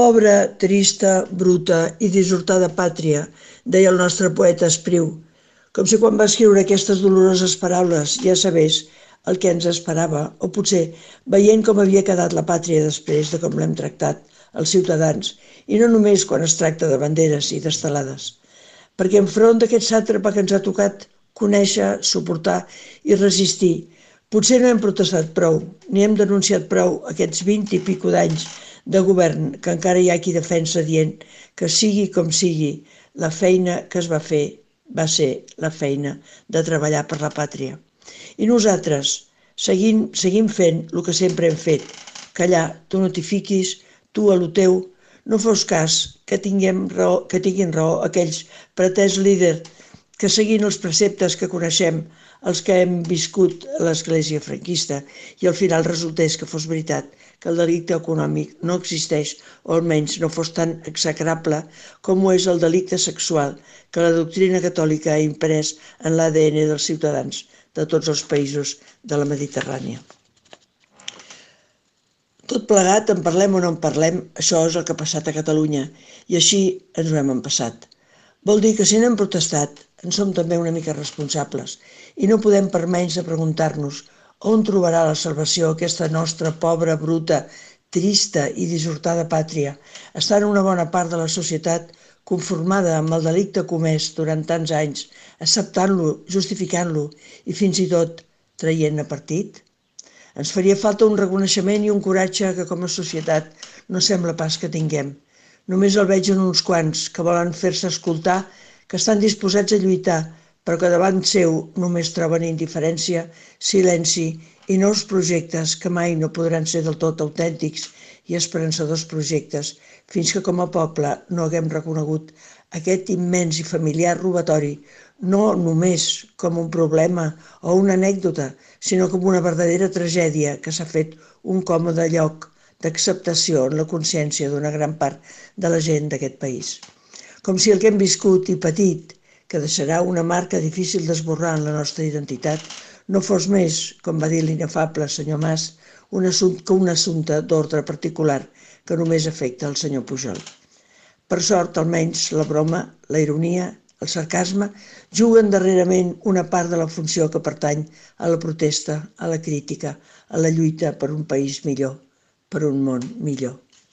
Pobra, trista, bruta i dissortada pàtria, deia el nostre poeta Espriu, com si quan va escriure aquestes doloroses paraules ja sabés el que ens esperava, o potser veient com havia quedat la pàtria després de com l'hem tractat els ciutadans, i no només quan es tracta de banderes i d'estelades. Perquè enfront d'aquest sàtrapa que ens ha tocat conèixer, suportar i resistir, potser no hem protestat prou, ni hem denunciat prou aquests 20 i pico d'anys de govern que encara hi ha qui defensa dient que sigui com sigui, la feina que es va fer va ser la feina de treballar per la pàtria. I nosaltres seguim fent el que sempre hem fet, callar, tu no t'hi fiquis, tu a lo teu, no fos cas que tinguin raó aquells pretès líders que seguint els preceptes que coneixem, els que hem viscut a l'església franquista, i al final resultés que fos veritat que el delicte econòmic no existeix, o almenys no fos tan execrable com ho és el delicte sexual que la doctrina catòlica ha imprès en l'ADN dels ciutadans de tots els països de la Mediterrània. Tot plegat, en parlem o no en parlem, això és el que ha passat a Catalunya, i així ens ho hem empassat. Vol dir que si n'hem protestat, en som també una mica responsables, i no podem per menys de preguntar-nos on trobarà la salvació aquesta nostra pobra, bruta, trista i dissortada pàtria, estant una bona part de la societat conformada amb el delicte comès durant tants anys, acceptant-lo, justificant-lo i fins i tot traient-ne partit? Ens faria falta un reconeixement i un coratge que com a societat no sembla pas que tinguem. Només el veig en uns quants que volen fer-se escoltar, que estan disposats a lluitar, però que davant seu només troben indiferència, silenci i nous projectes que mai no podran ser del tot autèntics i esperançadors projectes, fins que com a poble no haguem reconegut aquest immens i familiar robatori, no només com un problema o una anècdota, sinó com una verdadera tragèdia que s'ha fet un còmode lloc d'acceptació en la consciència d'una gran part de la gent d'aquest país. Com si el que hem viscut i patit, que deixarà una marca difícil d'esborrar en la nostra identitat, no fos més, com va dir l'inefable senyor Mas, que un assumpte d'ordre particular que només afecta el senyor Pujol. Per sort, almenys, la broma, la ironia, el sarcasme, juguen darrerament una part de la funció que pertany a la protesta, a la crítica, a la lluita per un país millor, per un món millor.